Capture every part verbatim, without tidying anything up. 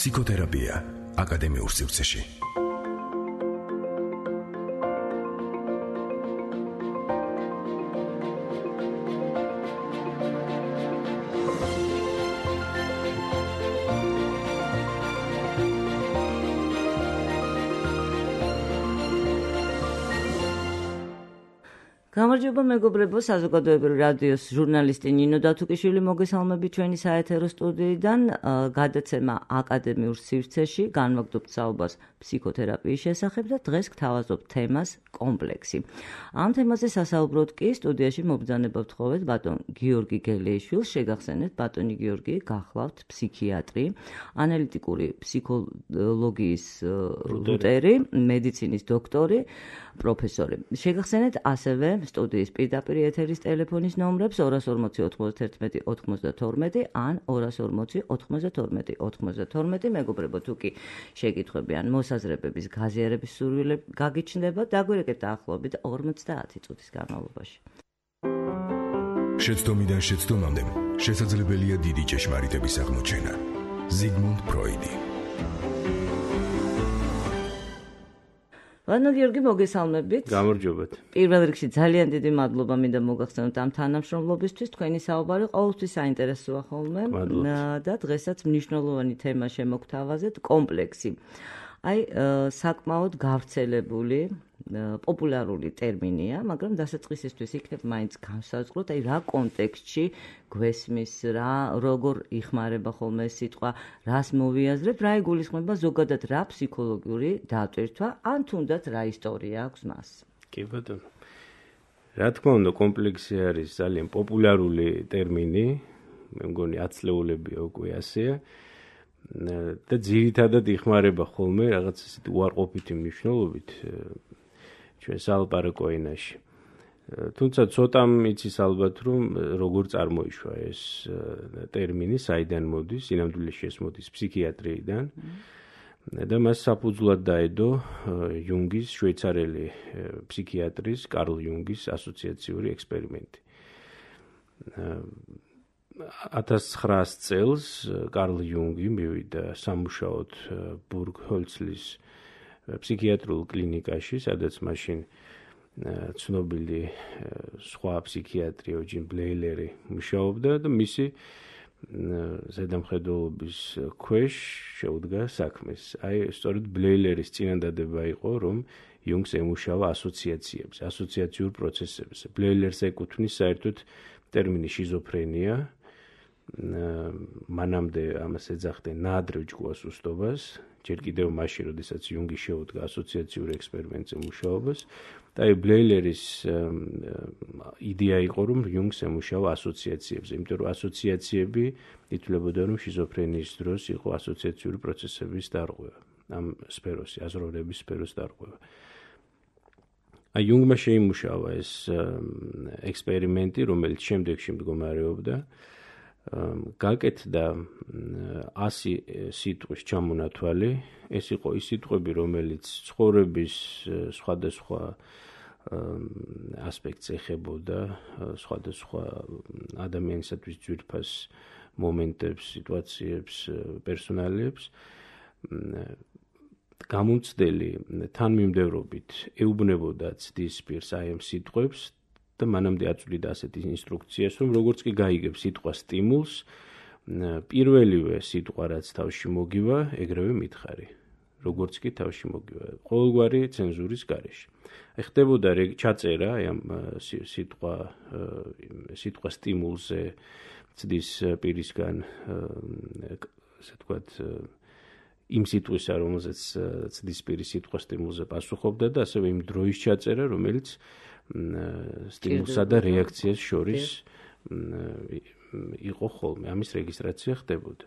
ფსიქოთერაპია აკადემიურ სივრცეში. გამარჯობა მეგობრებო, საზოგადოებრივი რადიოს ჟურნალისტი ნინო დათუკიშვილი მოგესალმებით ჩვენი საეთერო სტუდიიდან. გადაცემა აკადემიურ სივრცეში, განვაგრძობთ საუბარს ფსიქოთერაპიის შესახებ და დღეს გთავაზობთ თემას კომპლექსი. ამ თემაზე სასაუბროდ კი სტუდიაში მობრძანება ვთხოვეთ ბატონ გიორგი გელეიშვილს. შეგახსენეთ, ბატონი გიორგი გახლავთ ფსიქიატრი, ანალიტიკური ფსიქოლოგიის რუტერი, მედიცინის დოქტორი, პროფესორი. შეგახსენეთ ასევე სტუდიის პირდაპირ ეთერის ტელეფონის ნომრებს ორას ორმოცი ოთხმოცდაერთმეტი ოცდათორმეტი ან ორას ორმოცი ოთხმოცდათორმეტი ოცდათორმეტი. მეგობრებო, თუ კი შეკითხვები ან მოსაზრებების გაზიარების სურვილები გაგიჩნდება, დაგვირეკეთ დაახლოებით ორმოცდაათი წუთის განმავლობაში. შეცდომიდან შეცდომამდე შესაძლებელია დიდი ჭეშმარიტების აღმოჩენა. ზიგმუნდ ფროიდი. ბატონ გიორგი, მოგესალმებით. გამარჯობათ. პირველ რიგში ძალიან დიდი მადლობა მინდა მოგახსენოთ ამ თანამშრომლობისთვის. თქვენი საუბარი ყოველთვის საინტერესოა ხოლმე და დღესაც მნიშვნელოვანი თემა შემოგთავაზეთ, კომპლექსი. აი, საკმაოდ გავრცელებული, პოპულარული ტერმინია, მაგრამ დასაწყისისთვის იქნებ მაინც განსაზღვროთ, აი რა კონტექსტში გვესმის, რა როგორ იხმარება ხოლმე ეს სიტყვა, რას მოვიაზრებ, რა იგულისხმება ზოგადად რა ფსიქოლოგიური დატვირთვა, ან თუნდაც რა ისტორია აქვს მას. კი ბატონო. რა თქმა უნდა, კომპლექსი არის ძალიან პოპულარული ტერმინი, მე მგონი ათწლეულებია უკვე ასეა. და ძირითადად იხმარება ხოლმე რაღაც ისეთი უარყოფითი მნიშვნელობით ჩვენ სალაპარაკო ენაში. თუმცა ცოტამ იცის ალბათ, რომ როგორ წარმოიშვა ეს ტერმინი, საიდან მოდის, სინამდვილეში ეს მოდის ფსიქიატრიიდან და მას საფუძვლად დაედო იუნგის, შვეიცარიელი ფსიქიატრის, კარლ იუნგის ასოციაციური ექსპერიმენტი. ათას ცხრაასი წელს კარლ იუნგი მივიდა სამუშაოდ ბურგჰოლცლის ფსიქიატრიულ კლინიკაში, სადაც მაშინ ცნობილი სხვა ფსიქიატრი ოჯინ ბლეილერი მუშაობდა და მისი ზედამხედველობის ქვეშ შეუდგა საქმეს. აი, სწორედ ბლეილერის წინადადება იყო, რომ იუნგს ემუშავა ასოციაციებს, ასოციაციურ პროცესებს. ბლეილერს ეკუთვნის საერთოდ ტერმინი შიზოფრენია. მანამდე ამას ეძახდნენ ნაადრევ ჯგუასუსტობას, ჯერ კიდევ მაშინ, როდესაც იუნგი შეუდგა ასოციაციურ ექსპერიმენტზე მუშაობას და აი ბლეილერის იდეა იყო, რომ იუნგს ემუშავა ასოციაციებზე, იმიტომ რომ ასოციაციები ითვლებოდა, რომ შიზოფრენიის დროს იყო ასოციაციური პროცესების დარღვევა, ამ სფეროსი, აზროვნების სფეროს დარღვევა. აი იუნგმა შეიმუშავა ეს ექსპერიმენტი, რომელიც შემდეგში მდგომარეობდა. გაკეთდა ასი სიტყვის ჩამონათვალი. ეს იყო ის სიტყვები, რომელიც ცხოვრების სხვადასხვა ასპექტს ეხებოდა, სხვადასხვა ადამიანისათვის ძვირფას მომენტებს, სიტუაციებს, პერსონალიებს. გამომცდელი თანმიმდევრობით ეუბნებოდა ცდის პირს აი ამ სიტყვებს და მანამდე აწვდიდა ასეთი ინსტრუქციას, რომ როგორც კი გაიგებს სიტყვა სტიმულს, პირველივე სიტყვა რაც თავში მოგივა, ეგრევე მითხარი. როგორც კი თავში მოგივა, ყოველგვარი ცენზურის გარეშე. ხდებოდა ჩაწერა აი ამ სიტყვა სიტყვა სტიმულზე ცდის პირისგან, ასე ვთქვათ, იმ სიტყვისა, რომელზეც ცდის პირი სიტყვა სტიმულზე პასუხობდა და ასევე იმ დროის ჩაწერა, რომელიც სტიმულსა და რეაქციას შორის იყო ხოლმე, ამის რეგისტრაცია ხდებოდა.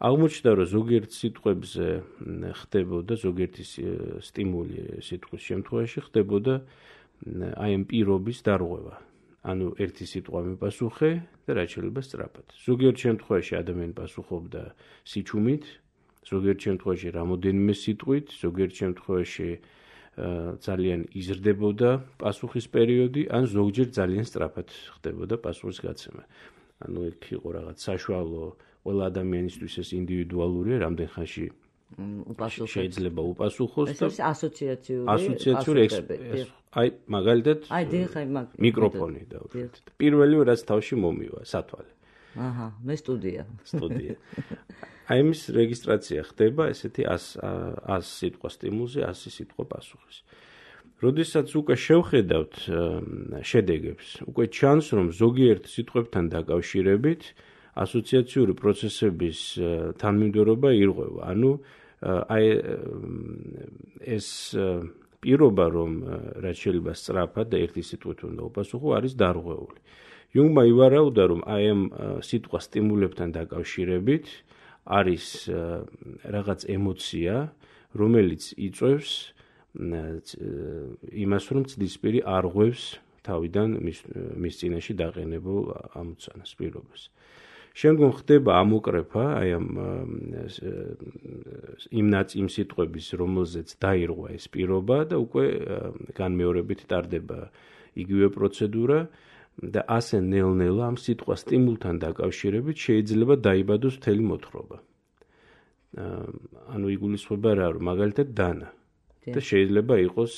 აღმოჩნდა, რომ ზოგიერთ სიტყვებზე ხდებოდა, ზოგიერთი სტიმული სიტყვის შემთხვევაში ხდებოდა აი ამ პირობის დარღვევა. ანუ ერთი სიტყვა მიპასუხე და რაც შეიძლება სწრაფად. ზოგიერთ შემთხვევაში ადამიანი პასუხობდა სიჩუმით, ზოგიერთ შემთხვევაში რამოდენიმე სიტყვით, ზოგიერთ შემთხვევაში ძალიან იზრდებოდა პასუხის პერიოდი, ან ზოგჯერ ძალიან სწრაფად ხდებოდა პასუხის გაცემა. ანუ იქ იყო რაღაც საშუალო ყველა ადამიანისთვის ეს ინდივიდუალურია, რამდენ ხანში შეიძლება უპასუხოს და ეს ასოციაციური ასოციაციური აი მაგალითად მიკროფონი დავუშვით. პირველი რაც თავში მომივა სათვალე. აჰა, მე სტუდია. სტუდია. აი მის რეგისტრაცია ხდება ესეთი ას სიტყვა სტიმულზე, ასი სიტყვა პასუხის. როდესაც უკვე შევხედავთ შედეგებს, უკვე ჩანს, რომ ზოგიერთ სიტყვებთან დაკავშირებით ასოციაციური პროცესების თანმიმდევრობა ირღვევა. ანუ აი ეს პირობა, რომ რაც შეიძლება სწრაფად და ერთი სიტყვით უნდა უპასუხო, არის დარღვეული. იუნგმა ივარაუდა, რომ აი ამ სიტყვა სტიმულებთან დაკავშირებით არის რაღაც ემოცია, რომელიც იწვევს იმას, რომ ცდისპირი არღვევს თავიდან მის წინაშე დაყენებულ ამოცანას პირობას. შემდგომ ხდება ამოკრეფა აი ამ იმ იმ სიტყვების, რომელზეც დაირღვა ეს პირობა და უკვე განმეორებით ტარდება იგივე პროცედურა და ასე ნელ-ნელა ამ სიტყვა სტიმულთან დაკავშირებით შეიძლება დაიბადოს მთელი მოთხრობა. ანუ იგულისხმება რა, რომ მაგალითად დანა და შეიძლება იყოს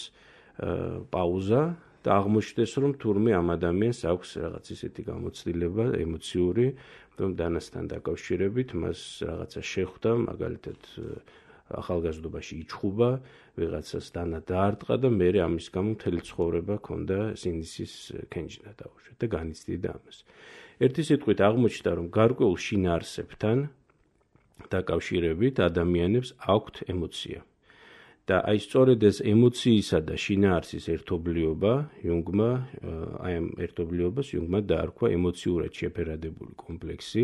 პაუზა და აღმოჩნდეს, რომ თურმე ამ ადამიანს აქვს რაღაც ისეთი გამოცდილება ემოციური, რომ დანასთან დაკავშირებით მას რაღაცა შეხვდა, მაგალითად ახალგაზრდობაში იჩხუბა, ვიღაცას დანა დაარტყა და მე ამის გამო მთელი ცხოვრება ჰქონდა სინდისის კენჭნა დაუშვით და განიცდიდა ამას. ერთი სიტყვით აღმოჩნდა, რომ გარკვეულ შინაარსებთან დაკავშირებით ადამიანებს აქვთ ემოცია. და აი სწორედ ეს ემოციისა და შინაარსის ერთობლიობა იუნგმა აი ამ ერთობლიობას იუნგმა დაარქვა ემოციურად შეფერადებული კომპლექსი,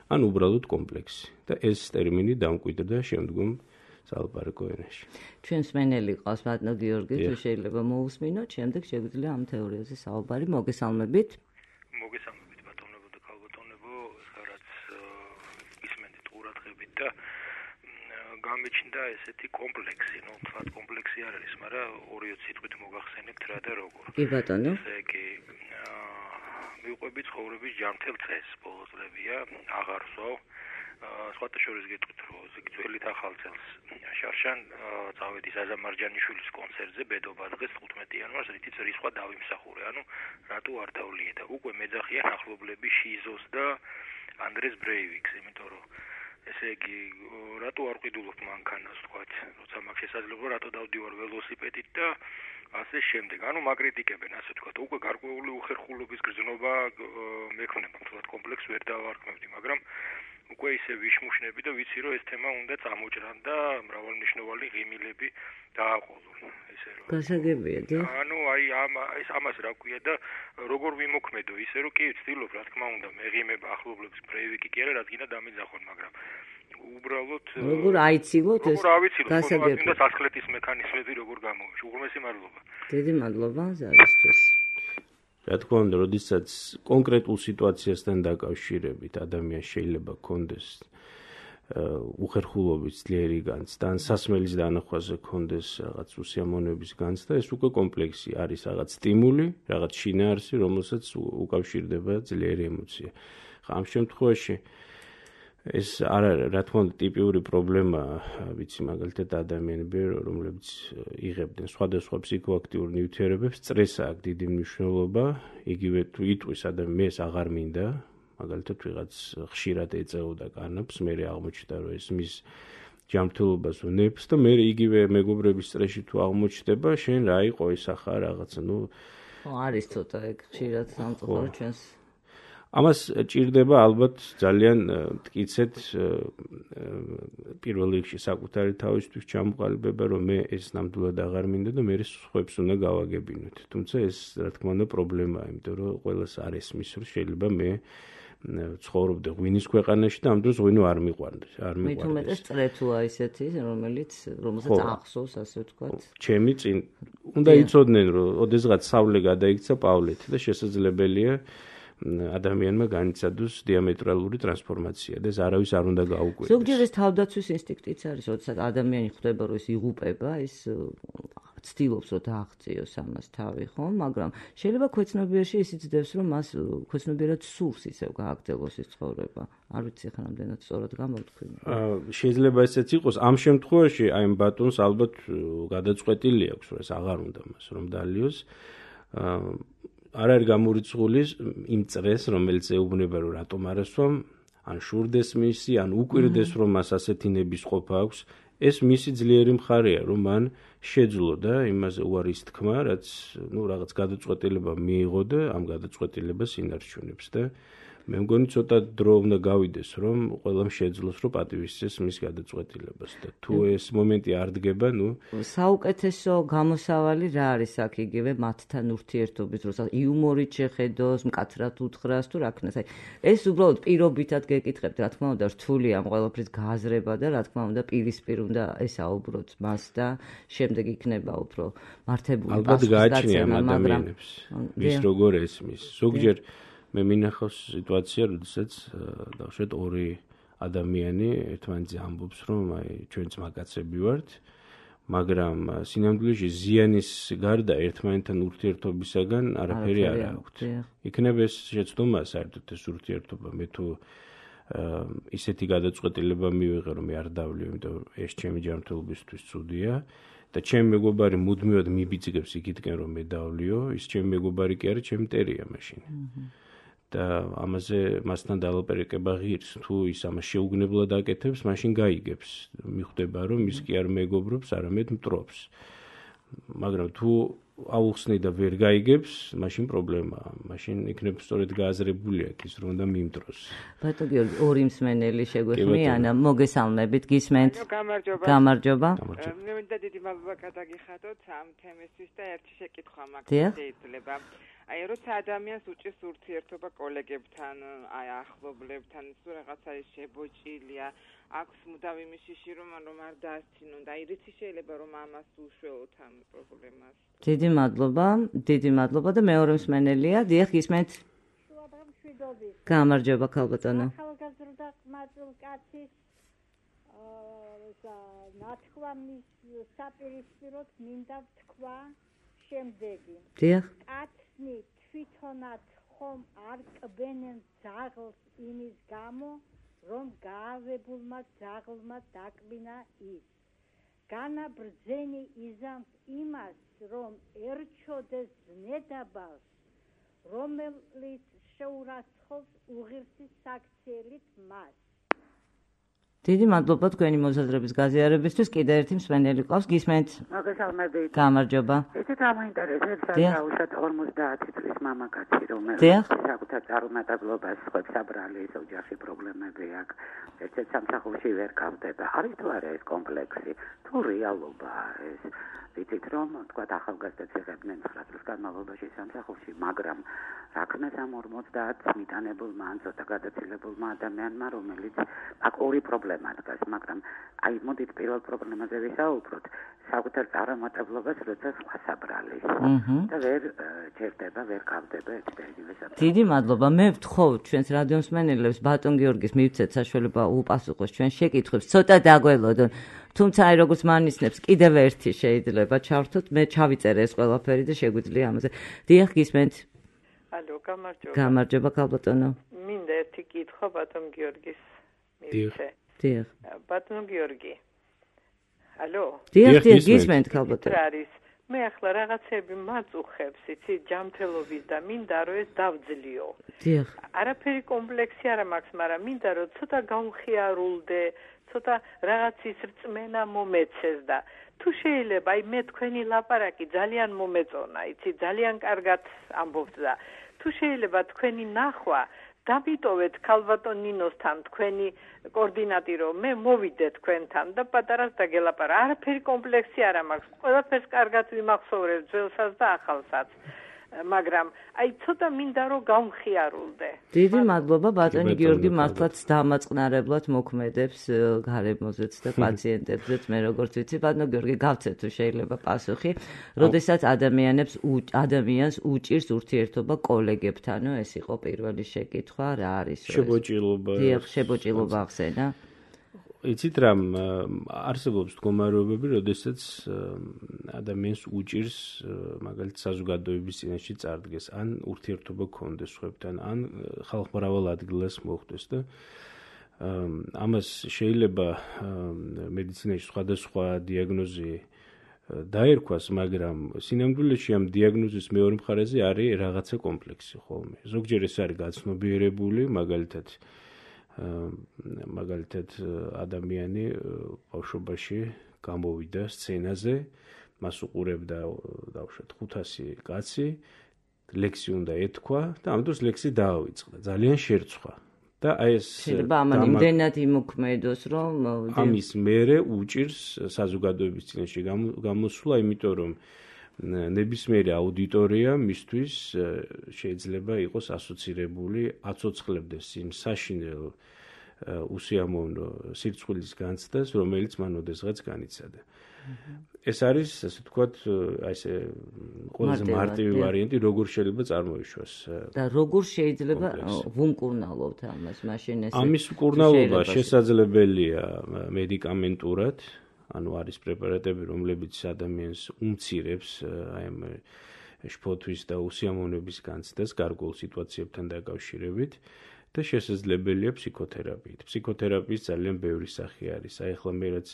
ან უბრალოდ კომპლექსი და ეს ტერმინი დამკვიდრდა შემდგომ სალაპარაკო ენაში. ჩვენს მენელი ყავს ბატონო გიორგი, თუ შეიძლება მოусმინოთ, შემდეგ შეგვიძლია ამ თეორიაზე საუბარი. მოგესალმებით. მოგესალმებით ბატონებო და ქალბატონებო, რაც ისმენთ ყურადღებით და გამიჩნდა ესეთი კომპლექსი, ну, თქვა კომპლექსი არ არის, მაგრამ ორი სიტყვით მოგახსენებთ რა და როგორ. კი ბატონო. ესე იგი, მივყვებით ცხოვრების ჯანმრთელ წესს, ბოლო წლებია, აღარ ვსვავ. სხვათა შორის გეტყვით, რომ ძველით ახალ წელს შარშან წავედი საზა მარჯანიშვილის კონცერტზე ბედობა დღეს თხუთმეტი იანვარს, რითიც რისხვა დავიმსახურე. ანუ რატო არ დავლიე და უკვე მეძახიან ახლობლები შიზოს და ანდრეს ბრეივიკს, იმიტომ რომ ესე იგი, რატო არ ყიდულობ მანქანას, თქვათ, როცა მაქვს შესაძლებლობა, რატო დავდივარ ველოსიპედით და ასე შემდეგ. ანუ მაგრიტიკებენ, ასე თქვათ, უკვე გარკვეული უხერხულობის გრძნობა მექნება, თქვათ, კომპლექს ვერ დავარქმევდი, მაგრამ უკვე ისე ვიშმუშნები და ვიცი, რომ ეს თემა უნდა წამოჭრან და მრავალმნიშვნელოვანი ღიმილები დააყოლონ, ესე რომ. გასაგებია, და? ანუ აი ამ ეს ამას რა ქვია და როგორ ვიმოქმედო, ისე რომ კი ვცდილობ, რა თქმა უნდა, მეღიმება ახლობლების ბრეივიკი კი არა, რადგან დამიძახონ, მაგრამ უბრალოდ როგორ აიცილოთ ეს? როგორ ავიცილოთ, გასაგებია. და სასხლეთის მექანიზმები როგორ გამოვიშვი. უღრმესი მადლობა. დიდი მადლობა ზარისთვის. რა თქმა უნდა, როდესაც კონკრეტულ სიტუაციასთან დაკავშირებით ადამიანს შეიძლება ჰქონდეს უხერხულობის ძლიერი განცდა, ან სასმელის დანახვაზე ჰქონდეს რაღაც უსიამოვნების განცდა, ეს უკვე კომპლექსი არის რაღაც სტიმული, რაღაც შინაარსი, რომელსაც უკავშირდება ძლიერი ემოცია. ხა ამ შემთხვევაში ეს არ არის, რა თქმა უნდა, ტიპიური პრობლემა, ვიცი, მაგალითად ადამიანები, რომლებიც იღებდნენ სხვადასხვა ფსიქოაქტიურ ნივთიერებებს, სტრესს აქვს დიდი მნიშვნელობა, იგივე თუ იტყვის ადამიანს აღარ მინდა, მაგალითად ვიღაც ხშირად ეწეოდა კანაფს, მე აღმოჩნდა, რომ ეს მის ჯანმრთელობას უნებს და მე იგივე მეგობრების სტრესში თუ აღმოჩნდება, შენ რა იყო ეს ახლა რაღაცა, ну, არის ცოტა ეგ ხშირად სამწუხარო ჩვენს ამას ჭირდება ალბათ ძალიან მტკიცედ პირველ რიგში საკუთარი თავისთვის ჩამოყალიბება, რომ მე ეს ნამდვილად აღარ მინდა და მე სხვებს უნდა გავაგებინოთ. თუმცა ეს რა თქმა უნდა პრობლემაა, იმიტომ რომ ყველას არ ესმის, რომ შეიძლება მე ცხოვრობდე ღვინის ქვეყანაში და ამ დროს ღვინო არ მიყვარდეს, არ მიყვარდეს. მით უმეტეს წრეთუა ისეთი, რომელიც რომელსაც ახსოვს, ასე ვთქვათ. ჩემი წინ უნდა იცოდნენ, რომ ოდესღაც სავლე გადაიქცა პავლეთი და შესაძლებელია ადამიანმა განიცადოს დიამეტრალური ტრანსფორმაცია და ეს არავის არ უნდა გაუკვირდეს. ზოგჯერ ეს თავდაცვის ინსტინქტიც არის, როდესაც ადამიანი ხვდება, რომ ის იღუპება, ის ცდილობს რომ დააღწიოს ამას თავი, ხო? მაგრამ შეიძლება ქვეცნობიერში ისიც ძდებს, რომ მას ქვეცნობიერად სურს ისევ გააგრძელოს ის ცხოვრება. არ ვიცი ხა რამდენად სწორად გამოვთქვი. შეიძლება ესეც იყოს. ამ შემთხვევაში აი ამ ბატონს ალბათ გადაწყვეტილი აქვს, რომ ეს აღარ უნდა მას რომ დალიოს. არ არის გამორიცხული იმ წრეს, რომელიც ეუბნება, რომ რატომ არ ასვამ, ან შურდეს მისი, ან უკვირდეს, რომ მას ასეთი ნების ყოფა აქვს. ეს მისი ძლიერი მხარეა, რომ მან შეძლო და იმაზე უარის თქმა, რაც ნუ რაღაც გადაწყვეტილება მიიღო და ამ გადაწყვეტილებას ინარჩუნებს და მე მგონი ცოტა დრო უნდა გავიდეს, რომ ყველამ შეძლოს, რომ პატივისცეს მის გადაწყვეტილებას და თუ ეს მომენტი არ დგება, ნუ საუკეთესო გამოსავალი რა არის აქ იგივე მათთან ურთიერთობის დროს იუმორით შეხედოს, მკაცრად უთხრას თუ რა ქნას. აი ეს უბრალოდ პირობითად გეკითხებთ, რა თქმა უნდა, რთულია ამ ყველაფრის გააზრება და რა თქმა უნდა პირისპირ უნდა ესაუბროთ მას და შემდეგ იქნება უფრო მართებული პასუხისგაცემა. ალბათ გააჩნია ამ ადამიანებს ვის როგორ ესმის. ზოგჯერ მე მინახავს სიტუაცია, როდესაც დავშეთ ორი ადამიანი ერთმანეთზე ამბობს, რომ აი ჩვენც მაგაცები ვართ, მაგრამ სინამდვილეში ზიანის გარდა ერთმანეთთან ურთიერთობისაგან არაფერი არ აქვთ. იქნება ეს შეცდომა საერთოდ ეს ურთიერთობა, მე თუ ისეთი გადაწყვეტილება მივიღე, რომ მე არ დავლიო, იმიტომ ეს ჩემი ჯანმრთელობისთვის ცუდია. და ჩემი მეგობარი მუდმივად მიბიძგებს იქითკენ, რომ მე დავლიო, ის ჩემი მეგობარი კი არის, ჩემი მტერია მაშინ. და ამაზე მასთან დალაპარაკება ღირს, თუ ის ამას შეუგნებლად აკეთებს, მაშინ გაიგებს. მიხვდება, რომ ის კი არ მეგობრობს, არამედ მტრობს. მაგრამ თუ აუხსნი და ვერ გაიგებს, მაშინ პრობლემაა. მაშინ იქნება სწორედ გააზრებული აქ ის, რომ უნდა მიმტროს. ბატონო გიორგი, ორი მსმენელი შეგვეხმიან, მოგესალმებით, გისმენთ. გამარჯობა. გამარჯობა. მე მინდა დიდი მადლობა გადაგიხადოთ ამ თემისთვის და ერთი შეკითხვა მაქვს შეიძლება. აი როცა ადამიანს უჭირს ურთიერთობა კოლეგებთან, აი ახლობლებთან, თუ რაღაცა ის შებოჭილია, აქვს მუდამ იმის შიში რომ რომ არ დაასწინონ და აი რითი შეიძლება რომ ამას უშველოთ ამ პრობლემას. დიდი მადლობა, დიდი მადლობა და მეორე მსმენელია, დიახ, გისმენთ. გამარჯობა ქალბატონო. ახალგაზრდა ყმაწვილკაცის ნათქვამის საპირისპიროდ მინდა ვთქვა შემდეგი. დიახ. კაცნი თვითონაც ხომ არ კბენენ ძაღლს იმის გამო, რომ გაავებულმა ძაღლმა დაკბინა ის. განაბრძენი იზამს იმას, რომ ერჩოდეს ზნედაბალს, რომელიც შეურაცხყოფს უღირსის საქციელით მას. დიდი მადლობა თქვენი მოსაზრების გაზიარებისთვის. კიდევ ერთი მსმენელი ყავს, გისმენთ. მოგესალმებით. გამარჯობა. ესეთ ამაინტერესებს საერთოდ ორმოცდაათი წლის მამაკაცი, რომელიც საკუთარ წარუმატებლობას ხვებს აბრალის ოჯახში პრობლემები აქვს. ერთ-ერთ სამსახურში ვერ გავდება. არის თუ არა ეს კომპლექსი? თუ რეალობაა ეს? ვიცით რომ თქვა ახალგაზრდებს იღებდნენ ცხრა წლის განმავლობაში სამსახურში, მაგრამ რა ქნას ამ ორმოცდაათს მიტანებულმა ან ცოტა გადაცილებულმა ადამიანმა, რომელიც აქ ორი პრობლემა დგას, მაგრამ აი მოდით პირველ პრობლემაზე ვისაუბროთ, საკუთარ წარუმატებლობას როცა სხვას აბრალის და ვერ ჩერდება, ვერ გავდება ეს პერიოდი. დიდი მადლობა. მე ვთხოვ ჩვენს რადიო მსმენელებს ბატონ გიორგის მივცეთ საშუალება უპასუხოს ჩვენ შეკითხვებს, ცოტა დაგველოდონ. თუმცა აი როგორც მანიშნებს, კიდევ ერთი შეიძლება ჩავრთოთ, მე ჩავიწერე ეს ყველაფერი და შეგვიძლია ამაზე. დიახ, გისმენთ. ალო, გამარჯობა. გამარჯობა ქალბატონო. მინდა ერთი კითხვა ბატონ გიორგის მივიცე. დიახ. ბატონ გიორგი. ალო. დიახ, დიახ, გისმენთ ქალბატონო. რა არის? მე ახლა რაღაცები მაწუხებს, იცი, ჯანმრთელობის და მინდა რომ ეს დავძლიო. დიახ. არაფერი კომპლექსი არ მაქვს, მაგრამ მინდა რომ ცოტა გავხიარულდე, ცოტა რაღაცის რწმენა მომეცეს და თუ შეიძლება, აი მე თქვენი ლაპარაკი ძალიან მომეწონა, იცი, ძალიან კარგად ამბობთ და თუ შეიძლება თქვენი ნახვა დამიტოვეთ ქალბატონ ნინოსთან თქვენი კოორდინატი რომ მე მოვიდე თქვენთან და პატარას დაგელაპარა. არაფერი კომპლექსი არ მაქვს. ყველაფერს კარგად ვიმახსოვრებ ძველსაც და ახალსაც. მაგრამ აი ცოტა მინდა რომ გავხიარულდე. დიდი მადლობა ბატონი გიორგი, მართლაც დამაწყნარებლად მოქმედებს გარემოზეც და პაციენტებზეც. მე როგორც ვიცი, ბატონო გიორგი, გავცეთ თუ შეიძლება პასუხი, როდესაც ადამიანებს ადამიანს უჭირს ურთიერთობა კოლეგებთანო, ეს იყო პირველი შეკითხვა, რა არის ეს? შებოჭილობა. დიახ, შებოჭილობა ახსენა. იცით რამ არსებობს მდგომარეობები, როდესაც ადამიანს უჭირს მაგალითად საზოგადოების წინაშე წარდგეს, ან ურთიერთობა გქონდეს სხვებთან, ან ხალხმრავალ ადგილას მოხვდეს და ამას შეიძლება მედიცინაში სხვადასხვა დიაგნოზი დაერქვას, მაგრამ სინამდვილეში ამ დიაგნოზის მეორე მხარეზე არის რაღაცა კომპლექსი ხოლმე. ზოგჯერ ეს არის გაცნობიერებული, მაგალითად მაგალითად ადამიანი ბავშვობაში გამოვიდა სცენაზე, მას უყურებდა დავუშვათ ხუთასი კაცი, ლექსი უნდა ეთქვა და ამ დროს ლექსი დაავიწყდა, ძალიან შერცვა. და აი ეს შეიძლება ამან იმდენად იმოქმედოს, რომ ამის მერე უჭირს საზოგადოების წინაშე გამოსვლა, იმიტომ რომ ნებისმიერი აუდიტორია მისთვის შეიძლება იყოს ასოცირებული, აცოცხლებდეს იმ საშინელ უსიამოვნო სირცხვილის განცდას, რომელიც მან ოდესღაც განიცადა. ეს არის, ასე ვთქვათ, აი ესე ყველაზე მარტივი ვარიანტი, როგორ შეიძლება წარმოიშვას. და როგორ შეიძლება ვუმკურნალოთ ამას, მაშინ ეს ამის მკურნალობა შესაძლებელია მედიკამენტურად, ანუ არის პრეპარატები, რომლებიც ადამიანს უმცირებს აი ამ შფოთვის და უსიამოვნების განცდას გარკვეულ სიტუაციებთან დაკავშირებით და შესაძლებელია ფსიქოთერაპიით. ფსიქოთერაპიის ძალიან ბევრი სახე არის. აი ახლა მე რაც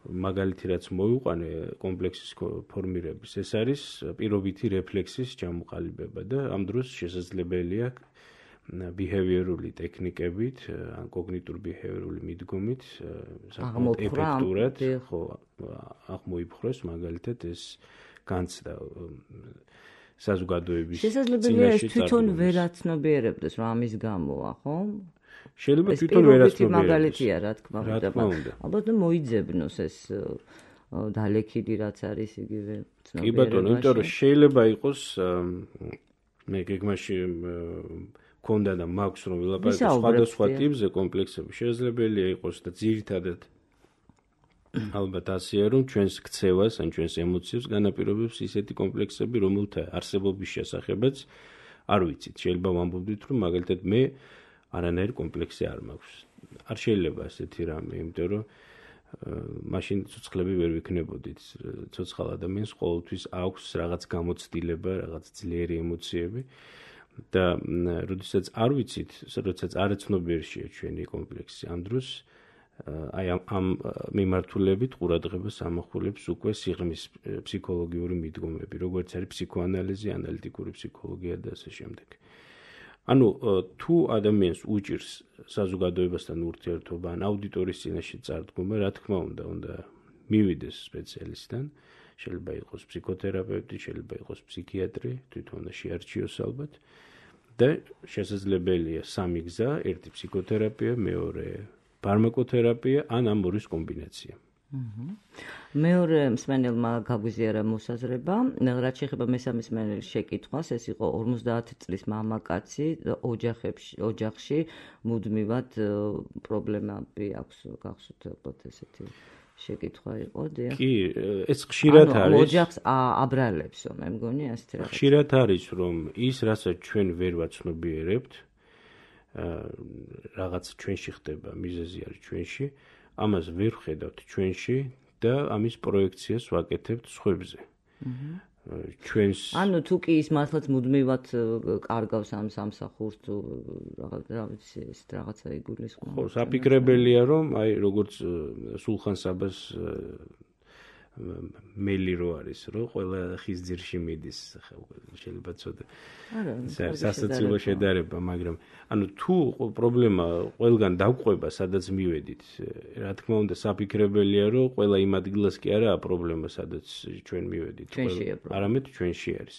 მაგალითი რაც მოვიყვანე კომპლექსის ფორმირების, ეს არის პირობითი რეფლექსის ჩამოყალიბება და ამ დროს შესაძლებელია behaviorული ტექნიკებით, ან კოგნიტურ-behaviorული მიდგომით, საკმაოდ ეფექტურად, ხო, აღმოიფხვრეს მაგალითად ეს განცდა საზოგადოების შესაძლებელია ეს თვითონ ვერ აცნობიერებდეს, რომ ამის გამოა, ხო? შეიძლება თვითონ ვერ აცნობიერებდეს. მაგალითია, რა თქმა უნდა. ალბათ მოიძებნოს ეს დალექილი რაც არის იგივე ცნობიერებაში. კი ბატონო, იმიტომ რომ შეიძლება იყოს მე გეგმაში მქონდა და მაქვს რომ ვილაპარაკო სხვადასხვა ტიპზე კომპლექსები, შესაძლებელია იყოს და ძირითადად ალბათ ასეა რომ ჩვენს ქცევას ან ჩვენს ემოციებს განაპირობებს ისეთი კომპლექსები, რომელთა არსებობის შესახებაც არ ვიცით. შეიძლება ვამბობდით რომ მაგალითად მე არანაირი კომპლექსი არ მაქვს. არ შეიძლება ასეთი რამე, იმიტომ რომ მაშინ ცოცხლები ვერ ვიქნებოდით. ცოცხალ ადამიანს ყოველთვის აქვს რაღაც გამოცდილება, რაღაც ძლიერი ემოციები და როდესაც არ ვიცით, როდესაც არ აცნობიერია ჩვენი კომპლექსი, ამ დროს აი ამ მიმართულებით ყურადღებას ამახვილებს უკვე სიღრმის ფსიქოლოგიური მიდგომები, როგორც არის ფსიქოანალიზი, ანალიტიკური ფსიქოლოგია და ასე შემდეგ. ანუ თუ ადამიანს უჭირს საზოგადოებასთან ურთიერთობა, ან აუდიტორიის წინაშე წარდგომა, რა თქმა უნდა, უნდა მივიდეს სპეციალისტთან, შეიძლება იყოს ფსიქოთერაპევტი, შეიძლება იყოს ფსიქიატრი, თვითონ უნდა შეარჩიოს ალბათ და შესაძლებელია სამი გზა, ერთი ფსიქოთერაპია, მეორე ფარმაკოთერაპია, ან ამორის კომბინაცია. მეორე მსმენელმა გაგვიზიარა მოსაზრება, რაც შეეხება მესამე მსმენელის შეკითხვას, ეს იყო ორმოცდაათი წლის მამაკაცი, ოჯახში მუდმივად პრობლემები აქვს, გახსოვთ ალბათ ესეთი შეკითხვა იყო, დიახ. კი, ეს ხშირად არის. ოჯახს აბრალებსო, მე მგონი ასეთი რაღაც. ხშირად არის, რომ ის, რასაც ჩვენ ვერ ვაცნობიერებთ, რაღაც ჩვენში ხდება, მიზეზი არის ჩვენში, ამას ვერ ვხედავთ ჩვენში და ამის პროექციას ვაკეთებთ სხვებზე. ჩვენს ანუ თუ კი ის მართლაც მუდმივად კარგავს ამ სამსახურს თუ რაღაც რა ვიცი ეს რაღაცა იგულისხმება. ხო, საფიქრებელია რომ აი როგორც სულხან საბას მელი რო არის, რომ ყველა ხის ძირში მიდის, შეიძლება ცოტა სასაცილო შედარება, მაგრამ ანუ თუ პრობლემა ყველგან დაგყვება, სადაც მივედით, რა თქმა უნდა, საფიქრებელია, რომ ყველა იმ ადგილას კი არაა პრობლემა, სადაც ჩვენ მივედით, არამედ ჩვენში არის.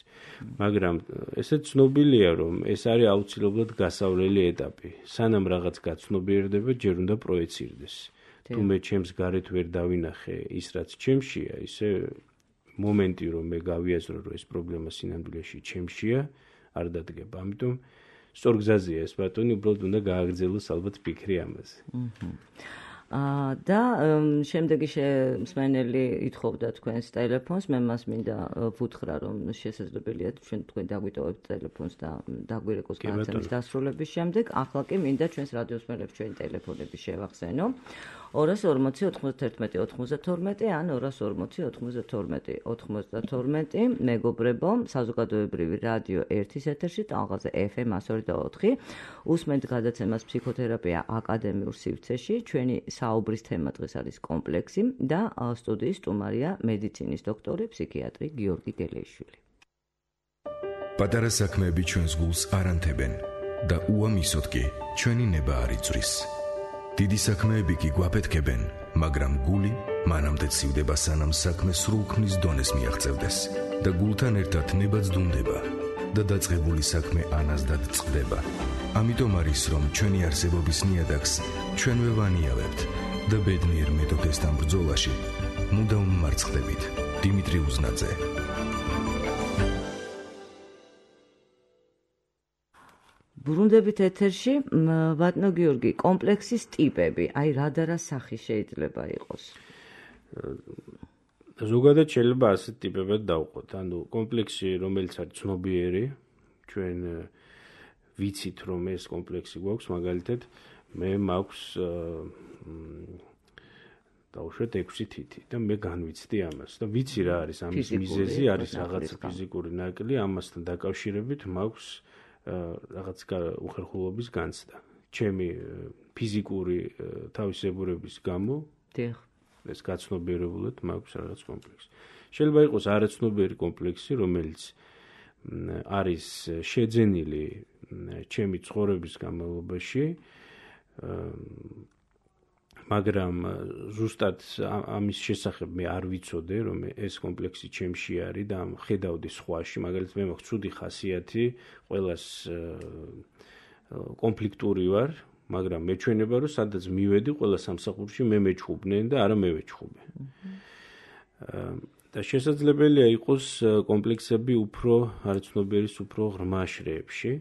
მაგრამ ესეც ცნობილია, რომ ეს არის აუცილებლად გასავლელი ეტაპი. სანამ რაღაც გაცნობიერდება, ჯერ უნდა პროეცირდეს. თუ მე ჩემს გარეთ ვერ დავინახე ის, რაც ჩემშია, ისე მომენტი, რომ მე გავიაზრო, რომ ეს პრობლემა სინამდვილეში ჩემშია, არ დადგება. ამიტომ სწორ გზაზეა ეს ბატონი, უბრალოდ უნდა გააგრძელოს ალბათ ფიქრი ამაზე. და შემდეგი მსმენელი ითხოვდა თქვენს ტელეფონს, მე მას მინდა ვუთხრა, რომ შესაძლებელია ჩვენ თქვენ დაგვიტოვებთ ტელეფონს და დაგვირეკოს განაცემის დასრულების შემდეგ. ახლა კი მინდა ჩვენს რადიოს მსმენელებს ჩვენი ტელეფონები შევახსენო. ორას ორმოცი ოთხმოცდაერთმეტი ოთხმოცდათორმეტი ან ორას ორმოცი ოთხმოცდათორმეტი ოცდათორმეტი. მეგობრებო, საზოგადოებრივი რადიო ერთის ეთერში ტალღაზე ეფ ემ εκατო ორი და ოთხი. უსმენთ გადაცემას ფსიქოთერაპია აკადემიურ სივრცეში. ჩვენი საუბრის თემა დღეს არის კომპლექსი და სტუდიის სტუმარია მედიცინის დოქტორი, ფსიქიატრი გიორგი გელეიშვილი. პატარა საქმეები ჩვენს გულს არ ანთებენ და უამისოდ კი ჩვენი ნება არ იწვრის. დიდი საქმეები კი გვაფეთქებენ, მაგრამ გული მანამდე ცივდება, სანამ საქმე სრულქმნის დონეს მიაღწევდეს და გულთან ერთად ნებაც დუნდება და დაწყებული საქმე ანაზდად წყდება. ამიტომ არის, რომ ჩვენი არსებობის ნიადაგს ჩვენვე ვანიავებთ და ბედნიერ მეთოქესთან ბრძოლაში მუდამ მარცხდებით. დიმიტრი უზნაძე. ბრუნდებით ეთერში, ბატონო გიორგი, კომპლექსის ტიპები, აი რა და რა სახი შეიძლება იყოს? ზოგადად შეიძლება ასეთ ტიპებად დავყოთ. ანუ კომპლექსი, რომელიც არის ცნობიერი, ჩვენ ვიცით, რომ ეს კომპლექსი გვაქვს, მაგალითად, მე მაქვს დავუშვათ ექვსი თითი და მე განვიცდი ამას და ვიცი რა არის ამის მიზეზი, არის რაღაცა ფიზიკური ნაკლი, ამასთან დაკავშირებით მაქვს რაღაც უხერხულობის განცდა. ჩემი ფიზიკური თავისებურების გამო ეს გაცნობიერებულად მაქვს რაღაც კომპლექსი. შეიძლება იყოს არაცნობიერი კომპლექსი, რომელიც არის შეძენილი ჩემი ცხოვრების განმავლობაში, მაგრამ ზუსტად ამის შესახებ მე არ ვიცოდე, რომ ეს კომპლექსი ჩემში არის და ხედავდი სხვაში, მაგალითად მე მაქვს ცუდი ხასიათი, ყველას კონფლიქტური ვარ, მაგრამ მეჩვენება, რომ სადაც მივედი, ყველა სამსახურში მე მეჩხუბნენ და არა მე ვეჩხუბე. და შესაძლებელია იყოს კომპლექსები უფრო არაცნობიერის უფრო ღრმა შრეებში.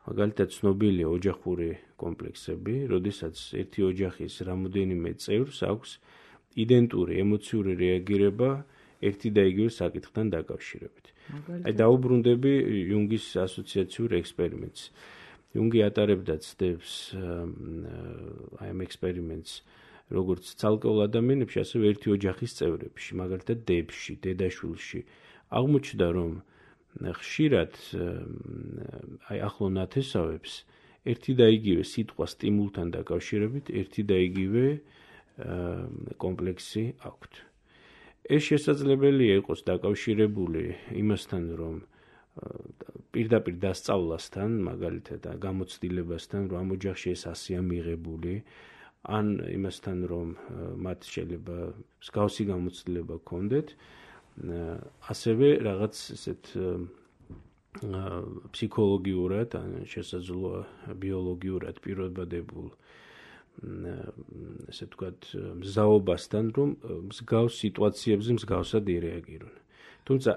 მაგალითად ცნობილია ოჯახური კომპლექსები, როდესაც ერთი ოჯახის რამოდენიმე წევრს აქვს იდენტური ემოციური რეაგირება ერთი და იგივე საკითხთან დაკავშირებით. აი დაუბრუნდები იუნგის ასოციაციურ ექსპერიმენტს. იუნგი ატარებდა ცდებს აი ამ ექსპერიმენტს როგორც ცალკეულ ადამიანებში, ასევე ერთი ოჯახის წევრებში, მაგალითად დედებში, დედაშვილში. აღმოჩნდა, რომ ხშირად აი ახლო ნათესავებს ერთი და იგივე სიტყვა სტიმულთან დაკავშირებით ერთი და იგივე კომპლექსი აქვთ. ეს შესაძლებელია იყოს დაკავშირებული იმასთან, რომ პირდაპირ დასწავლასთან, მაგალითად გამოცდილებასთან, რომ ამ ოჯახში ეს ასეა მიღებული, ან იმასთან, რომ მათ შეიძლება მსგავსი გამოცდილება ჰქონდეთ, ასევე რაღაც ესეთ ფსიქოლოგიურად, ან შესაძლოა ბიოლოგიურად პირობადებულ ესე ვთქვათ მზაობასთან, რომ მსგავს სიტუაციებზე მსგავსად ირეაგირონ. თუმცა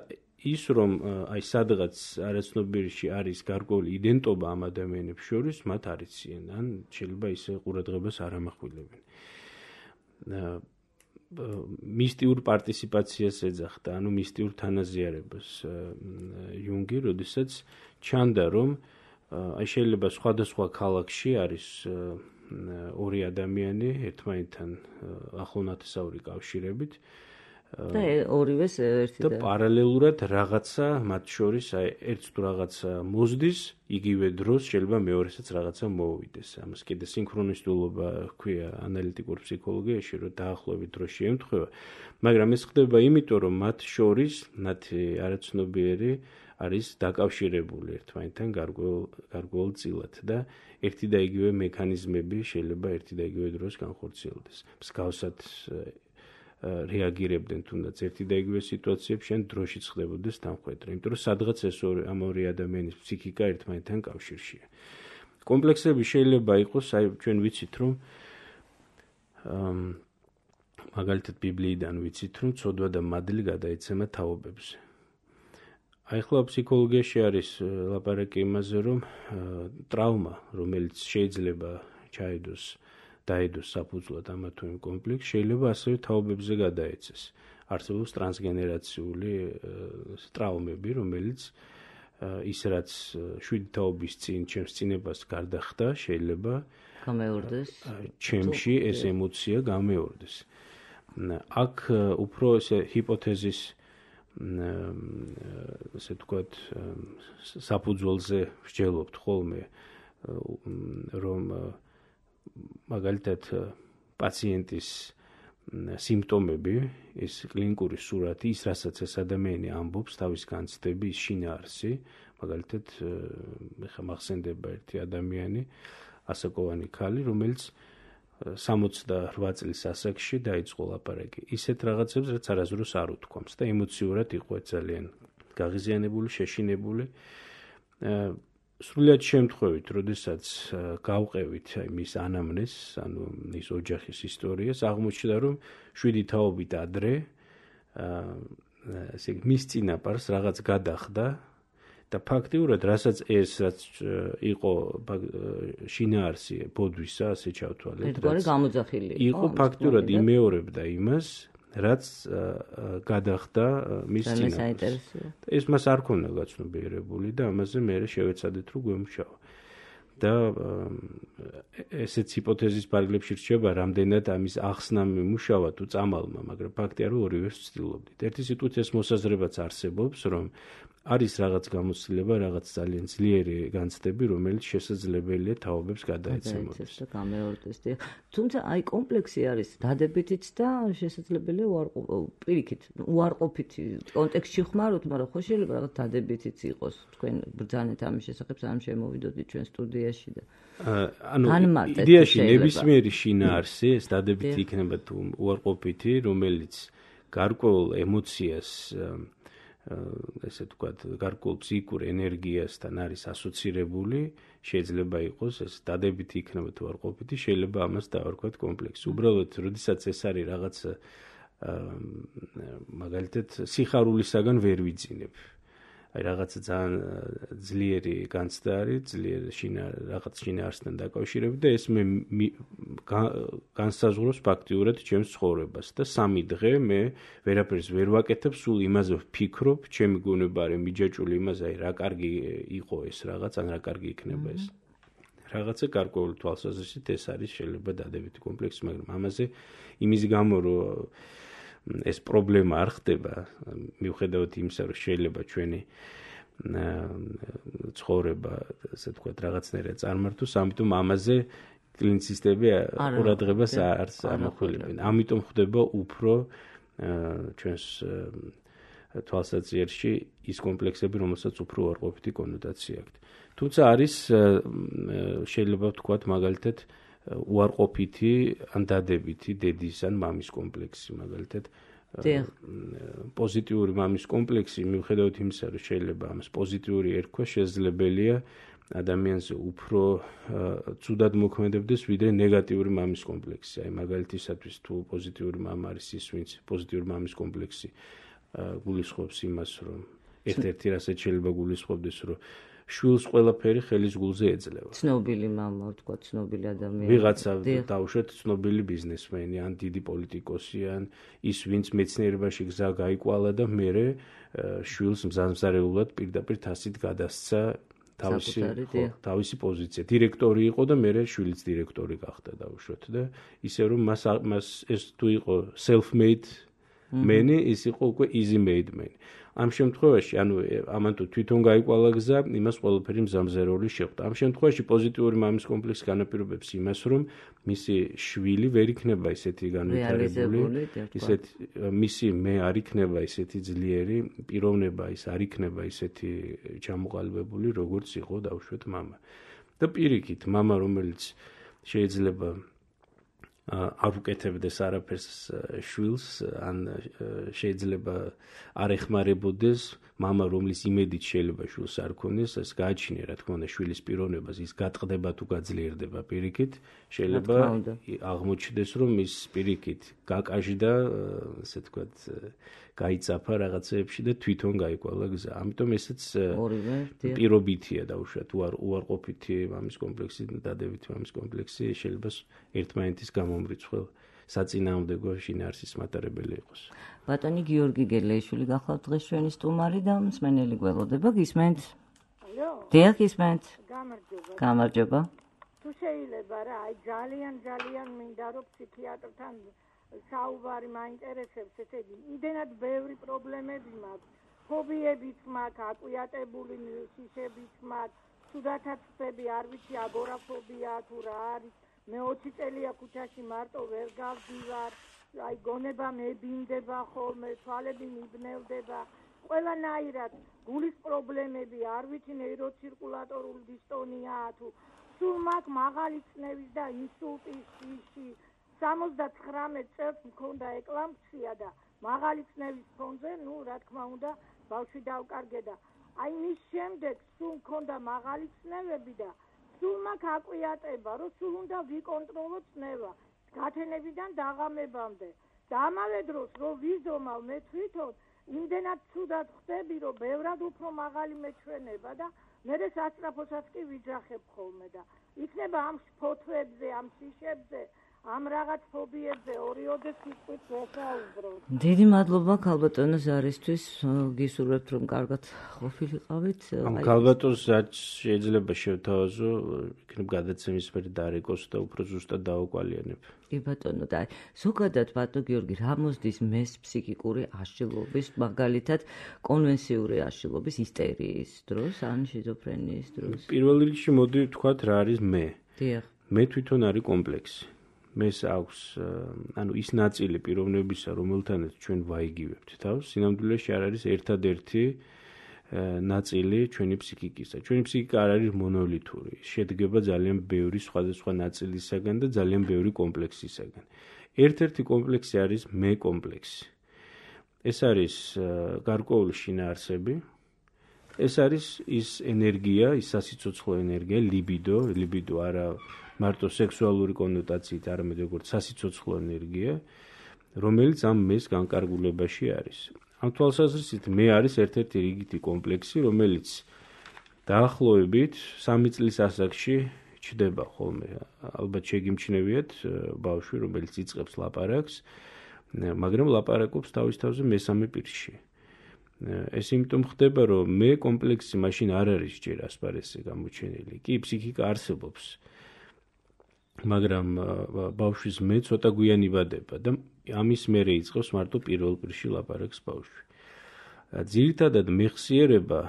ის, რომ აი სადღაც არაცნობიერში არის გარკვეული იდენტობა ამ ადამიანებს შორის, მათ არ იციან, ან შეიძლება ისე ყურადღებას არ ამახვილებენ. მისტიურ პარტიციპაციას ეძახდა, ანუ მისტიურ თანაზიარებას იუნგი, როდესაც ჩანდა, რომ აი შეიძლება სხვადასხვა ქალაქში არის ორი ადამიანი ერთმანეთთან ახლო ნათესაური კავშირებით და ორივეს ერთი და პარალელურად რაღაცა მათ შორის აი ერთს თუ რაღაცა მოსდის, იგივე დროს შეიძლება მეორესაც რაღაცა მოუვიდეს. ამას კიდე სინქრონისტულობა ჰქვია ანალიტიკურ ფსიქოლოგიაში, რომ დაახლოებით დროს შეემთხვევა, მაგრამ ეს ხდება იმიტომ, რომ მათ შორის მათი არაცნობიერი არის დაკავშირებული ერთმანეთთან გარკვეულწილად და ერთი და იგივე მექანიზმები შეიძლება ერთი და იგივე დროს განხორციელდეს. მსგავსად რეაგირებდნენ თუნდაც ერთი და იგივე სიტუაციებში, ან დროშიც ხდებოდეს დამხვედრა, იმიტომ რომ სადღაც ეს ამ ორი ადამიანის ფსიქიკა ერთმანეთთან კავშირშია. კომპლექსები შეიძლება იყოს, აი ჩვენ ვიცით, რომ მაგალითად ბიბლიიდან ვიცით, რომ ცოდვა და მადლი გადაეცემა თაობებზე. აი ახლა ფსიქოლოგიაში არის ლაპარაკი იმაზე, რომ ტრავმა, რომელიც შეიძლება ჩაიდოს დაედოს საფუძვლად ამა თუ იმ კომპლექსს, შეიძლება ასევე თაობებზე გადაეცეს. არსებობს ტრანსგენერაციული ტრავმები, რომელიც ის რაც შვიდი თაობის წინ ჩემს წინებას გარდახდა, შეიძლება გამეორდეს. ჩემში ეს ემოცია გამეორდეს. აქ უფრო ესე ჰიპოთეზის ესე თქვათ საფუძველზე ვსჯელობთ ხოლმე, რომ მაგალითად პაციენტის სიმპტომები, ეს კლინიკური სურათი, ის რასაც ეს ადამიანი ამბობს, თავის განცდები, შინაარსი, მაგალითად ეხა მახსენდება ერთი ადამიანი, ასაკოვანი ქალი, რომელიც სამოცდაორ წლის ასაკში დაიწყო ლაპარაკი. ისეთ რაღაცებს, რაც არასდროს არ უთქვამს და ემოციურად იყო ძალიან გაღიზიანებული, შეშინებული. სრულიად შემთხვევით, როდესაც გავყევით მის ანამნეზს, ანუ ის ოჯახის ისტორიას, აღმოჩნდა, რომ შვიდი თაობით ადრე ესე იგი მის წინაპარს რაღაც გადახდა და ფაქტიურად, რასაც ეს რაც იყო შინაარსი ბოდვისა, ასე ჩავთვალეთ, ერთგვარი გამოძახილი იყო ფაქტიურად იმეორებდა იმას, რაც გადახდა მის წინაპარს. ეს მას არ ქონდა გაცნობიერებული და ამაზე მე შევეცადეთ, რომ გვემუშავა. და ესეც ჰიპოთეზის ფარგლებში რჩება, რამდენად ამის ახსნა მიმუშავა თუ წამალმა, მაგრამ ფაქტია, რომ ორივეს ვცდილობდით. ერთი სიტყვით ეს მოსაზრებაც არსებობს, რომ არის რაღაც გამოცდილება, რაღაც ძალიან ძლიერი განცდები, რომელიც შესაძლებელია თაობებს გადაეცემოდეს და გამეორდეს. თუმცა აი კომპლექსი არის დადებითიც და შესაძლებელია პირიქით, უარყოფითი კონტექსტში ხმაროთ, მაგრამ ხო შეიძლება რაღაც დადებითიც იყოს. თქვენ ბრძანეთ ამის შესახებ, სანამ შემოვიდოდით ჩვენ სტუდიაში და ანუ იდეაში ნებისმიერი შინაარსი, ეს დადებითი იქნება თუ უარყოფითი, რომელიც გარკვეულ ემოციას ესე ვთქვათ, გარკვეულ ფსიქიკურ ენერგიასთან არის ასოცირებული, შეიძლება იყოს ეს დადებითი იქნება თუ უარყოფითი, შეიძლება ამას დავარქვათ კომპლექსი. უბრალოდ, როდესაც ეს არის რაღაც მაგალითად სიხარულისაგან ვერ ვიძინებ. აი რაღაცა ძალიან ძლიერი განცდა არის, ძლიერი რაღაც შინაარსთან დაკავშირებით და ეს მე განსაზღვროს ფაქტიურად ჩემს ცხოვრებას და სამი დღე მე ვერაფერს ვერ ვაკეთებ, სულ იმაზე ვფიქრობ, ჩემი გონება არის მიჯაჭვული იმაზე, აი რა კარგი იყო ეს რაღაც, ან რა კარგი იქნება ეს. რაღაცა გარკვეული თვალსაზრისით ეს არის შეიძლება დადებითი კომპლექსი, მაგრამ ამაზე იმის გამო რომ ეს პრობლემა არ ხდება, მიუხედავად იმისა, რომ შეიძლება ჩვენი ცხოვრება, ასე ვთქვათ, რაღაცნაირად წარმართოს, ამიტომ ამაზე კლინიცისტები ყურადღებას არ ამახვილებენ. ამიტომ ხდება უფრო ჩვენს თვალსაჩინში ის კომპლექსები, რომელსაც უფრო უარყოფითი კონოტაცია აქვს. თუმცა არის შეიძლება ვთქვათ, მაგალითად უარყოფითი ან დადებითი დედის ან მამის კომპლექსი, მაგალითად პოზიტიური მამის კომპლექსი, მიუხედავად იმისა, რომ შეიძლება ამას პოზიტიური ერქვა, შესაძლებელია ადამიანზე უფრო ცუდად მოქმედებდეს, ვიდრე ნეგატიური მამის კომპლექსი. აი მაგალითისათვის თუ პოზიტიური მამა არის ის, ვინც პოზიტიური მამის კომპლექსი გულისხმობს იმას, რომ ერთ-ერთი რასაც შეიძლება გულისხმობდეს, რომ შვილს ყველაფერი ხელის გულზე ეძლევა. ცნობილი მამა, თქვა ცნობილი ადამიანი. ვიღაცა დაუშვათ ცნობილი ბიზნესმენი, ან დიდი პოლიტიკოსი, ან ის, ვინც მეცნიერებაში გზა გაიკვალა და მერე შვილს მზამზარეულად პირდაპირ თასით გადასცა თავისი თავისი პოზიცია. დირექტორი იყო და მერე შვილიც დირექტორი გახდა დაუშვათ და ისე რომ მას მას ეს თუ იყო self-made man-ი, ის იყო უკვე easy-made man. ამ შემთხვევაში, ანუ ამან თუ თვითონ გაიკვალა გზა, იმას ყველაფერი მზამზარეული შეხვდა. ამ შემთხვევაში პოზიტიური მამის კომპლექსი განაპირობებს იმას, რომ მისი შვილი ვერ იქნება ისეთი განვითარებული, ისეთი მისი მე არ იქნება ისეთი ძლიერი პიროვნება, ის არ იქნება ისეთი ჩამოყალიბებული, როგორც იყო დაუშვათ მამა. და პირიქით, მამა, რომელიც შეიძლება არ უკეთებდეს არაფერს შვილს, ან შეიძლება არ ეხმარებოდეს მამა, რომლის იმედით შეიძლება შვილს არ ქონდეს, ეს გააჩინე, რა თქმა უნდა, შვილის პიროვნებას, ის გატყდება თუ გაძლიერდება პირიქით, შეიძლება აღმოჩნდეს, რომ ის პირიქით გაკაჟდა, ასე თქვათ, გაიწაფა რაღაცეებში და თვითონ გაიკვალა გზა. ამიტომ ესეც პირობითია დაუშვათ, უარყოფითი მამის კომპლექსი, დადებითი მამის კომპლექსი შეიძლება ერთმანეთის გამომრიცხვალ საწინააღმდეგო შინაარსის მატარებელი იყოს. ბატონი გიორგი გელეიშვილი გახლავთ დღეს ჩვენი სტუმარი და მსმენელი გველოდება, გისმენთ? ალო? დიახ, გისმენთ. გამარჯობა. გამარჯობა. თუ შეიძლება რა, აი ძალიან ძალიან მინდა რომ ფსიქიატრთან საუბარი მაინტერესებს, ესე იგი, იმდენად ბევრი პრობლემები მაქვს, ფობიებიც მაქვს, აკვიატებული შიშებიც მაქვს, თუდათაც ხდები, არ ვიცი, აგორაფობია თუ რა არის. მე ოცი წელია ქუჩაში მარტო ვერ გავდივარ, აი გონება მებინდება ხოლმე, თვალები მიბნევდება, ყველანაირად გულის პრობლემები, არ ვიცი, ნეიროცირკულატორული დისტონიაა თუ სულ მაქვს მაღალი წნევის და ინსულტის შიში. სამოცდათხრამეტ წელს მქონდა ეკლამპსია და მაღალი წნევის ფონზე, ნუ რა თქმა უნდა, ბავშვი დავკარგე და აი მის შემდეგ სულ მქონდა მაღალი წნევები და სულ მაქვს აკვიატება, რომ სულ უნდა ვიკონტროლო წნევა, გათენებიდან დაღამებამდე. და ამავე დროს, რომ ვიზომავ მე თვითონ, იმდენად ცუდად ხდები, რომ ბევრად უფრო მაღალი მეჩვენება და მერე სასწრაფოსაც კი ვიძახებ ხოლმე და იქნება ამ ფოთვებზე, ამ შიშებზე, ამ რაღაც ფობიებზე ორიოდე სიტყვით ვესაუბროთ. დიდი მადლობა ქალბატონო ზარისთვის, გისურვებთ რომ კარგად ყოფილიყავით. ამ ქალბატონს შეიძლება შევთავაზო, იქნებ გადაცემის მერე დარეკოს და უფრო ზუსტად დაუყალიანებ. კი ბატონო, და ზოგადად ბატონო გიორგი, რა მოსდის მეს ფსიქიკური აშლილობის, მაგალითად კონვენციური აშლილობის, ისტერიის დროს, ან შიზოფრენიის დროს? პირველ რიგში მოდი ვთქვათ რა არის მე. დიახ. მე თვითონ არის კომპლექსი. მეს აქვს, ანუ ის ნაწილი პიროვნებისა, რომელთანაც ჩვენ ვაიგივებთ თავს, სინამდვილეში არ არის ერთადერთი ნაწილი ჩვენი ფსიქიკისა. ჩვენი ფსიქიკა არ არის მონოლითური, შედგება ძალიან ბევრი სხვადასხვა ნაწილისაგან და ძალიან ბევრი კომპლექსისაგან. ერთ-ერთი კომპლექსი არის მე კომპლექსი. ეს არის გარკვეული შინაარსები, ეს არის ის ენერგია, ის სასიცოცხლო ენერგია, ლიბიდო, ლიბიდო არა მარტო სექსუალური კონოტაციით, არამედ როგორც სასიცოცხლო ენერგია, რომელიც ამ მეს განკარგულებაში არის. ამ თვალსაზრისით მე არის ერთ-ერთი რიგითი კომპლექსი, რომელიც დაახლოებით სამი წლის ასაკში ჩდება ხოლმე. ალბათ შეგიმჩნევიათ ბავშვი, რომელიც იწყებს ლაპარაკს, მაგრამ ლაპარაკობს თავის თავზე მესამე პირში. ეს იმიტომ ხდება, რომ მე კომპლექსი მაშინ არ არის ჯერ ასპარესზე გამოჩენილი. კი, ფსიქიკა არსებობს. მაგრამ ბავშვის მე ცოტა გვიან იბადება და ამის მერე იწყებს მარტო პირველ პირში ლაპარაკს ბავშვი. ძირითადად მეხსიერება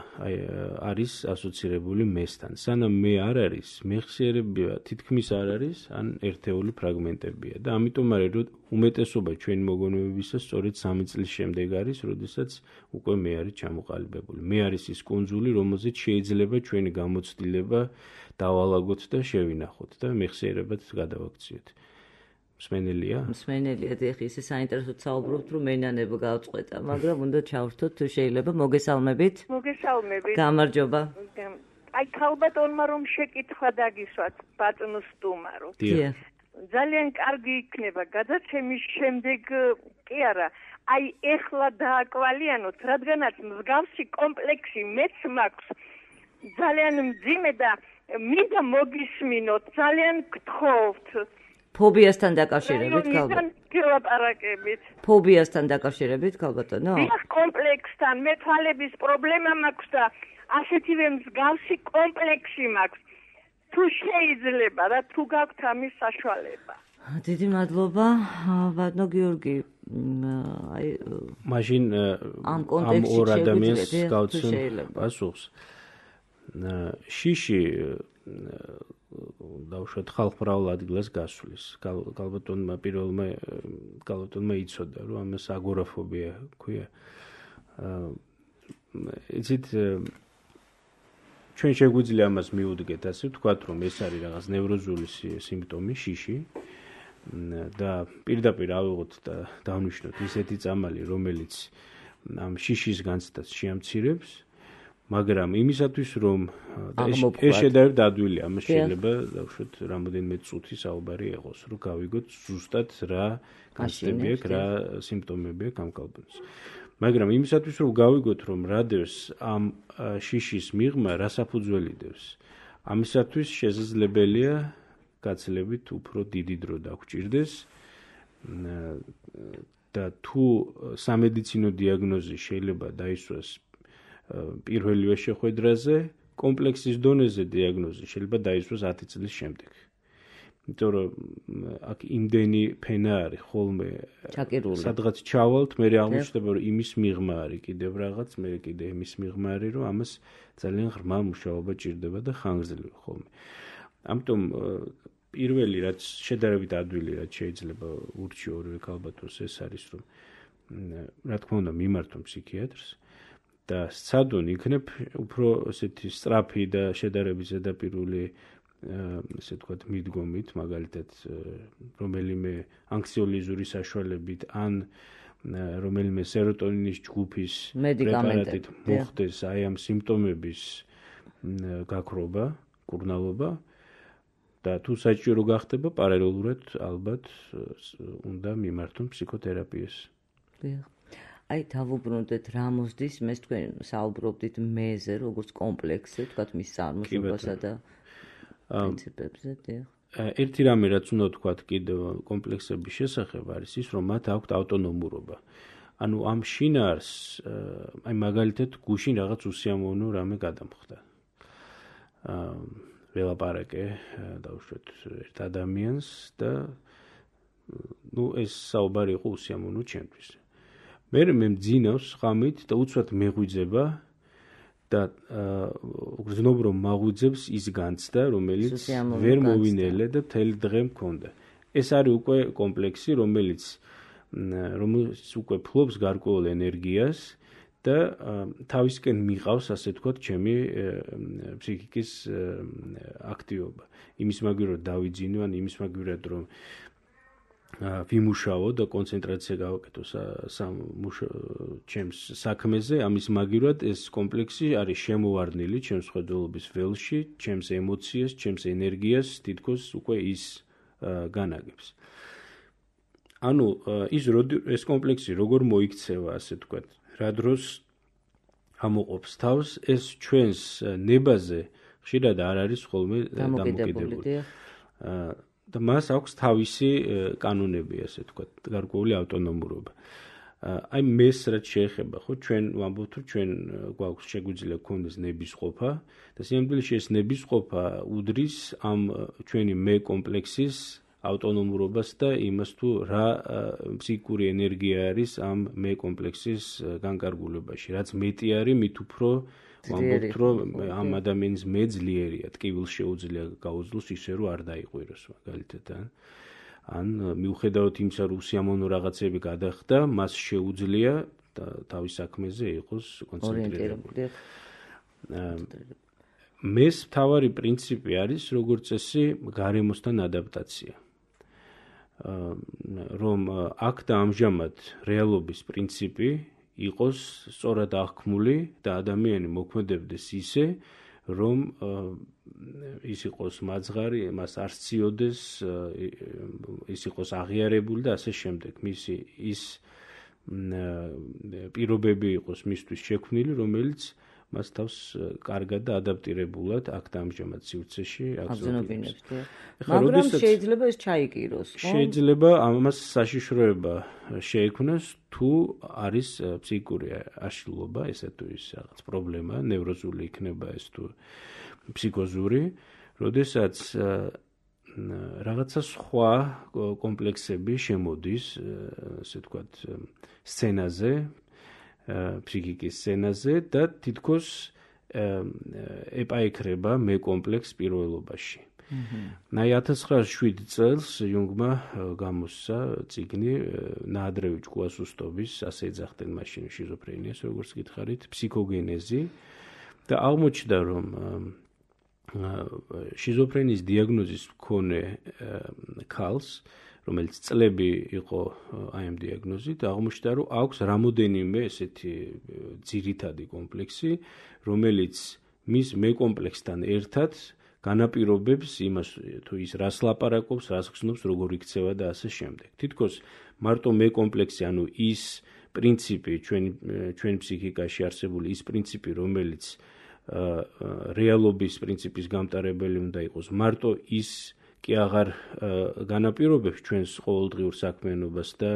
არის ასოცირებული მესთან. სანამ მე არ არის, მეხსიერება თითქმის არ არის, ან ერთეული ფრაგმენტებია და ამიტომ არის, რომ უმეტესობა ჩვენი მოგონებებისა სწორედ სამი წლის შემდეგ არის, როდესაც უკვე მე არის ჩამოყალიბებული. მე არის ის კუნძული, რომელზეც შეიძლება ჩვენი გამოცდილება დავალაგოთ და შევინახოთ და მეხსიერებად გადავაქციოთ. მსმენელია? მსმენელია, დიახ, ისე საინტერესოდ საუბრობთ, რომ მენანებო გავწყვეტა, მაგრამ უნდა ჩავრთოთ თუ შეიძლება. მოგესალმებით. მოგესალმებით. გამარჯობა. აი ქალბატონმა რომ შეკითხვა დაგისვათ ბატონო სტუმარო. დიახ. ძალიან კარგი იქნება გადაცემის შემდეგ კი არა, აი ეხლა დააკვალიანოთ, რადგანაც მსგავსი კომპლექსი მეც მაქვს ძალიან მძიმე და მინდა მოგისმინოთ, ძალიან გთხოვთ. ფობიასთან დაკავშირებით ქალბატონო? გელაპარაკებით. ფობიასთან დაკავშირებით ქალბატონო? დიახ, კომპლექსთან, მე თვალების პრობლემა მაქვს და ასეთივე მსგავსი კომპლექსი მაქვს. თუ შეიძლება და თუ გაქვთ ამის საშუალება. დიდი მადლობა, ბატონო გიორგი. აი მაშინ ამ ორ ადამიანს გავცემ პასუხს. შიში დავუშვათ ხალხმრავალ ადგილას გასვლის. ქალბატონმა პირველმა ქალბატონმა იცოდა, რომ ამას აგორაფობია ქვია. იცით ჩვენ შეგვიძლია ამას მიუდგეთ, ასე ვთქვათ, რომ ეს არის რაღაც ნევროზული სიმპტომი, შიში და პირდაპირ ავიღოთ და დავნიშნოთ ისეთი წამალი, რომელიც ამ შიშის განცდას შეამცირებს, მაგრამ იმისათვის რომ ეს შედარებით ადვილია, ამას შეიძლება დავუშვათ რამოდენიმე წუთი საუბარი ეყოს, რომ გავიგოთ ზუსტად რა განცდები აქვს, რა სიმპტომები აქვს ამ კალბონს. მაგრამ იმისათვის რომ გავიგოთ რომ რა დევს ამ შიშის მიღმა, რა საფუძველი დევს, ამისათვის შესაძლებელია გაცილებით უფრო დიდი დრო დაგვჭირდეს და თუ სამედიცინო დიაგნოზი შეიძლება დაისვას პირველივე შეხვედრაზე, კომპლექსის დონეზე დიაგნოზი შეიძლება დაისვას ათი წლის შემდეგ. იმიტომ რომ აქ იმდენი ფენა არის ხოლმე სადღაც ჩავალთ, მე აღმოჩნდება რომ იმის მიღმა არის კიდევ რაღაც, მე კიდე იმის მიღმა არის, რომ ამას ძალიან ღრმა მუშაობა ჭირდება და ხანგრძლივი ხოლმე. ამიტომ პირველი რაც შედარებით ადვილი რაც შეიძლება ურჩიო ორივე ქალბატონს ეს არის რომ რა თქმა უნდა მიმართონ ფსიქიატრს და სცადონ იქნებ უფრო ესეთი სწრაფი და შედარებით ზედაპირული ესე ვთქვათ მიდგომით, მაგალითად რომელიმე ანქსიოლიზური საშუალებით ან რომელიმე სეროტონინის ჯგუფის პრეპარატით მოხდეს აი ამ სიმპტომების გაქრობა, კურნალობა და თუ საჭირო გახდება პარალელურად ალბათ უნდა მიმართონ ფსიქოთერაპიას. აი დავუბრუნდეთ რა მოსდის, მე თქვენ საუბრობდით მეზე, როგორც კომპლექსზე, თქვათ მის წარმოშობასა და პრინციპებზე, დიახ. ერთი რამე რაც უნდა ვთქვათ კიდევ კომპლექსების შესახებ არის ის, რომ მათ აქვთ ავტონომურობა. ანუ ამ შინაარს, აი მაგალითად გუშინ რაღაც უსიამოვნო რამე გადამხდა. ველაპარაკე დავუშვათ ერთ ადამიანს და ნუ ეს საუბარი იყო უსიამოვნო ჩემთვის. მე მე მძინავს ხამით და უცბად მეღვიძება და გრძნობ რომ მაღვიძებს ის განცდა, რომელიც ვერ მოვინელე და მთელი დღე მქონდა. ეს არის უკვე კომპლექსი, რომელიც რომელიც უკვე ფლობს გარკვეულ ენერგიას და თავისკენ მიყავს, ასე ვთქვათ, ჩემი ფსიქიკის აქტივობა. იმის მაგივრად დავიძინო, ან იმის მაგივრად რომ ვიმუშაო და კონცენტრაცია გავაკეთო ჩემს საქმეზე, ამის მაგივრად ეს კომპლექსი არის შემოვარდნილი ჩემს ხედველობის ველში, ჩემს ემოციას, ჩემს ენერგიას თითქოს უკვე ის განაგებს. ანუ ის ეს კომპლექსი როგორ მოიქცევა, ასე ვთქვათ, რა დროს ამოყოფს თავს, ეს ჩვენს ნებაზე ხშირად არ არის ხოლმე დამოკიდებული. და მას აქვს თავისი კანონები, ასე ვთქვათ, გარკვეული ავტონომურობა. აი მეს რაც შეეხება, ხო, ჩვენ ვამბობთ, რომ ჩვენ გვაქვს შეგვიძლია გქონდეს ნებისყოფა და სიამბილეში ეს ნებისყოფა უდრის ამ ჩვენი მე კომპლექსის ავტონომურობას და იმას თუ რა ფსიქიკური ენერგია არის ამ მე კომპლექსის განკარგულებაში. რაც მეტი არის, მით უფრო ვამბობთ, რომ ამ ადამიანის მე ძლიერია, ტკივილს შეუძლია გაუძლოს ისე, რომ არ დაიყვიროს, მაგალითად. ან მიუხედავად იმისა, რომ უსიამოვნო რაღაცები გადახდა, მას შეუძლია თავის საქმეზე იყოს კონცენტრირებული. მეს მთავარი პრინციპი არის, როგორც წესი, გარემოსთან ადაპტაცია. რომ აქ და ამჟამად რეალობის პრინციპი იყოს სწორად აღქმული და ადამიანი მოქმედებდეს ისე, რომ ის იყოს მაძღარი, მას არ სციოდეს, ის იყოს აღიარებული და ასე შემდეგ. მისი ის პირობები იყოს მისთვის შექმნილი, რომელიც მას თავს კარგად და ადაპტირებულად აქ და ამჟამად სივრცეში აბზენობინებს. მაგრამ შეიძლება ეს ჩაიგიროს, ხო? შეიძლება ამას საშიშროება შეექმნას, თუ არის ფსიქიკური აშლილობა, ესა თუ ის რაღაც პრობლემა, ნევროზული იქნება ეს თუ ფსიქოზური, როდესაც რაღაცა სხვა კომპლექსები შემოდის, ასე ვთქვათ, სცენაზე, ფსიქიკის სცენაზე და თითქოს ეპაიქრება მე კომპლექს პირველობაში. აი ათას ცხრაასი შვიდი წელს იუნგმა გამოსცა წიგნი ნაადრევი ჭკუასუსტობის, ასე ეძახდნენ მაშინ შიზოფრენიას, როგორც გითხარით, ფსიქოგენეზი და აღმოჩნდა, რომ შიზოფრენიის დიაგნოზის მქონე ქალს, რომელიც წლები იყო აი ამ დიაგნოზით, აღმოჩნდა, რომ აქვს რამოდენიმე ესეთი ძირითადი კომპლექსი, რომელიც მის მეკომპლექსთან ერთად განაპირობებს იმას, თუ ის რას ლაპარაკობს, რას ხსნობს, როგორ იქცევა და ასე შემდეგ. თითქოს მარტო მეკომპლექსი, ანუ ის პრინციპი ჩვენ ჩვენ ფსიქიკაში არსებული ის პრინციპი, რომელიც რეალობის პრინციპის გამტარებელი უნდა იყოს, მარტო ის კი აღარ განაპირობებს ჩვენს ყოველდღიურ საქმიანობას და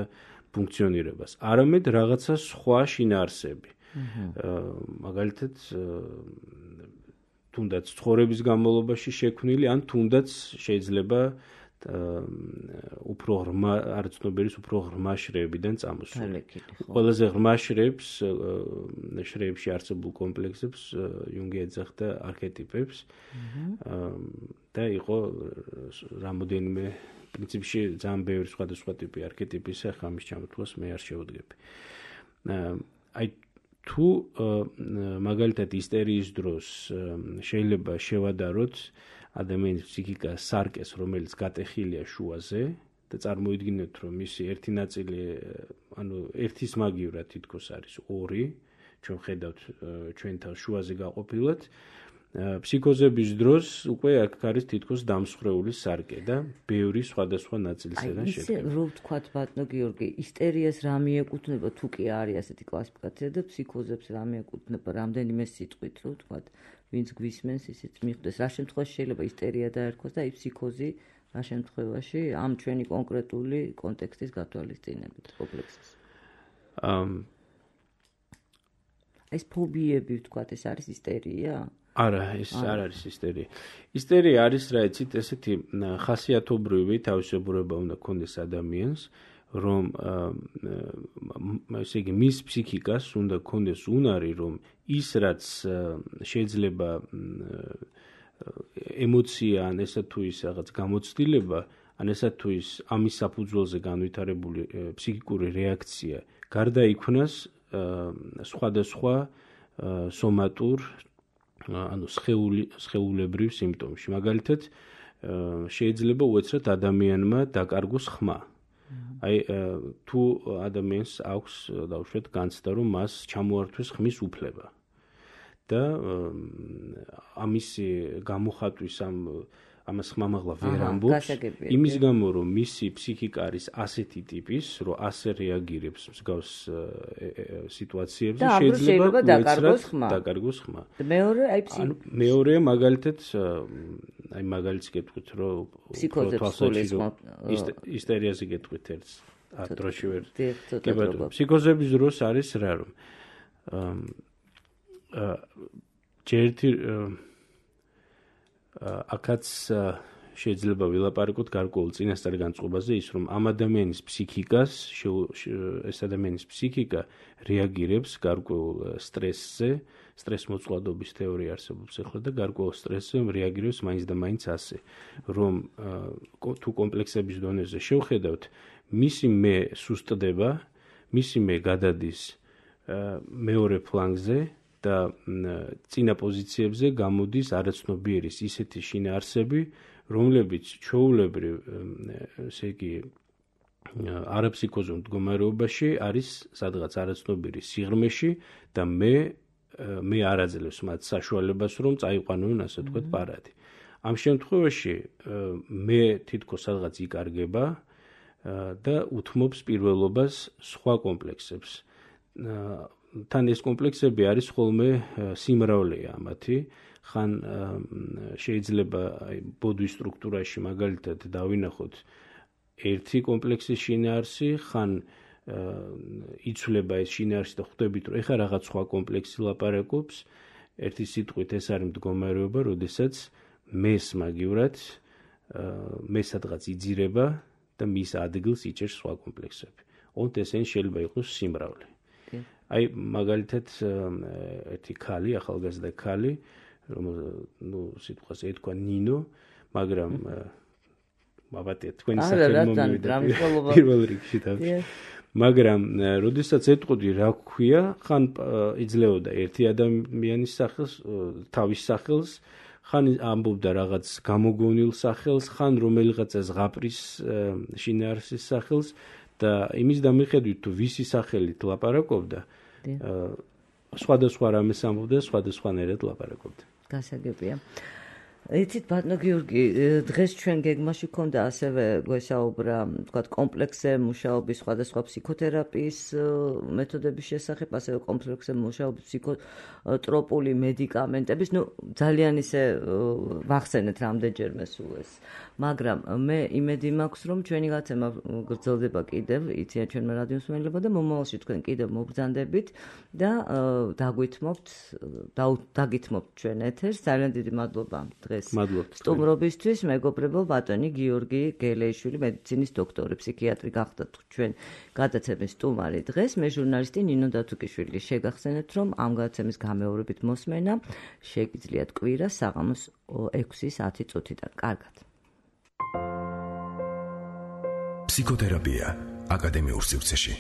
ფუნქციონირებას, არამედ რაღაცა სხვა შინაარსები. მაგალითად, თუნდაც ცხოვრების განმავლობაში შექმნილი, ან თუნდაც შეიძლება უფრო ღრმა არცნობერის უფრო ღრმა შრეებიდან წამოსული. ყველაზე ღრმა შრეებს, შრეებში არსებულ კომპლექსებს იუნგი ეძახდა არქეტიპებს და იყო რამოდენიმე პრინციპში ძალიან ბევრი სხვადასხვა ტიპი არქეტიპისა, ხა ამის ჩამოთვლას მე არ შევდგები. აი თუ მაგალითად ისტერიის დროს შეიძლება შევადაროთ ადამიანის ფსიქიკა სარკეს, რომელიც გატეხილია შუაზე და წარმოიდგინეთ, რომ მისი ერთი ნაწილი, ანუ ერთის მაგივრად თითქოს არის ორი, ჩვენ ხედავთ ჩვენთან შუაზე გაყოფილად, ფსიქოზების დროს უკვე აქ არის თითქოს დამსხვრეული სარკე და ბევრი სხვადასხვა ნაწილისგან შედგება. აი, რო ვთქვათ ბატონო გიორგი, ისტერიას რა მიეკუთვნება, თუ კი არის ასეთი კლასიფიკაცია და ფსიქოზებს რა მიეკუთვნება, რამდენიმე სიტყვით რო ვთქვათ, ვინც გვისმენს, ისიც მიხვდეს, რა შემთხვევაში შეიძლება ისტერია დაერქვას და აი ფსიქოზი რა შემთხვევაში ამ ჩვენი კონკრეტული კონტექსტის გათვალისწინებით კომპლექსის. ამ ეს ფობიები ვთქვათ, ეს არის ისტერია? არა, ეს არ არის ისტერია. ისტერია არის რა იცით, ესეთი ხასიათობრივი თავისებურება უნდა ქონდეს ადამიანს, რომ ესე იგი მის ფსიქიკას უნდა ქონდეს უნარი, რომ ის რაც შეიძლება ემოცია ან ესა თუ ის რაღაც გამოცდილება, ან ესა თუ ის ამის საფუძველზე განვითარებული ფსიქიკური რეაქცია გარდა იქნას სხვადასხვა სომატურ ანუ სხეული სხეულებრივ სიმპტომში. მაგალითად, შეიძლება უეცრად ადამიანმა დაკარგოს ხმა. აი, თუ ადამიანს აქვს დავუშვათ განცდა, რომ მას ჩამოართვეს ხმის უფლება და ამის გამოხატვის ამ ამას ხმამაღლა ვერ ამბობს, იმის გამო, რომ მისი ფსიქიკა არის ასეთი ტიპის, რომ ასე რეაგირებს მსგავს სიტუაციებზე, შეიძლება დაკარგოს ხმა. დაკარგოს ხმა. მეორე, აი ფსიქიკა. მეორე, მაგალითად, აი მაგალითს გეტყვით, რომ ისტერიაზე გეტყვით ერთს, დროში ვერ. კი ბატონო, ფსიქოზების დროს არის რა, რომ ჯერთი აქაც შეიძლება ვილაპარაკოთ გარკვეულ წინასწარ განწყობაზე ის, რომ ამ ადამიანის ფსიქიკას, ეს ადამიანის ფსიქიკა რეაგირებს გარკვეულ სტრესზე, სტრესმოწყვლადობის თეორია არსებობს ახლა და გარკვეულ სტრესზე რეაგირებს მაინც და მაინც ასე, რომ თუ კომპლექსების დონეზე შევხედავთ, მისი მე სუსტდება, მისი მე გადადის მეორე ფლანგზე და წინა პოზიციებზე გამოდის არაცნობიერის ისეთი შინაარსები, რომლებიც ჩვეულებრივ, ესე იგი, არაფსიქოზურ მდგომარეობაში არის სადღაც არაცნობიერის სიღრმეში და მე მე არ აძლევს მათ საშუალებას, რომ წაიყვანონ, ასე ვთქვათ, პარადი. ამ შემთხვევაში მე თითქოს სადღაც იკარგება და უთმობს პირველობას სხვა კომპლექსებს. თან ეს კომპლექსები არის ხოლმე სიმრავლეა მათი, ხან შეიძლება ბოდვის სტრუქტურაში მაგალითად დავინახოთ ერთი კომპლექსის შინაარსი, ხან იცვლება ეს შინაარსი და ხვდებით, რომ ეხა რაღაც სხვა კომპლექსი ლაპარაკობს, ერთი სიტყვით ეს არის მდგომარეობა, როდესაც მეს მაგივრად მე სადღაც იძირება და მის ადგილს იჭერს სხვა კომპლექსები. ოღონდ ესენი შეიძლება იყოს სიმრავლე. აი მაგალითად ერთი ქალი, ახალგაზრდა ქალი, რომ ნუ სიტყვას ეთქვა ნინო, მაგრამ მაბატია თქვენი სახელი მომივიდა პირველ რიგში თავში. მაგრამ როდესაც ეთყოდი რა ქვია, ხან იძლეოდა ერთი ადამიანის სახელს, თავის სახელს, ხან ამბობდა რაღაც გამოგონილ სახელს, ხან რომელიღაცა ზღაპრის შინაარსის სახელს და იმის დამიხედვით თუ ვისი სახელით ლაპარაკობდა, სხვადასხვა რამეს ამბობდა, სხვადასხვანაირად ლაპარაკობდა. გასაგებია. იცით ბატონო გიორგი, დღეს ჩვენ გეგმაში ქონდა ასევე გვესაუბრა, თქვათ, კომპლექსზე მუშაობის სხვადასხვა ფსიქოთერაპიის მეთოდების შესახებ, ასევე კომპლექსზე მუშაობის ფსიქოტროპული მედიკამენტების, ну, ძალიან ისე ვახსენეთ რამდენჯერმე სულ ეს. მაგრამ მე იმედი მაქვს, რომ ჩვენი გაცემა გრძელდება კიდევ, იციან ჩვენმა რადიოს მსმენელებმა და მომავალში თქვენ კიდევ მობრძანდებით და დაგვითმობთ, დაგითმობთ ჩვენ ეთერს. ძალიან დიდი მადლობა დღეს სტუმრობისთვის. მეგობრებო, ბატონი გიორგი გელეიშვილი, მედიცინის დოქტორი, ფსიქიატრი გახდათ ჩვენ გადაცემის სტუმარი დღეს. მე ჟურნალისტი ნინო დათუკიშვილი. შეგახსენებთ, რომ ამ გადაცემის გამეორებით მოსმენა შეგიძლიათ კვირას საღამოს ექვსის ათი წუთიდან. კარგად. ფსიქოთერაპია აკადემიურ სივრცეში.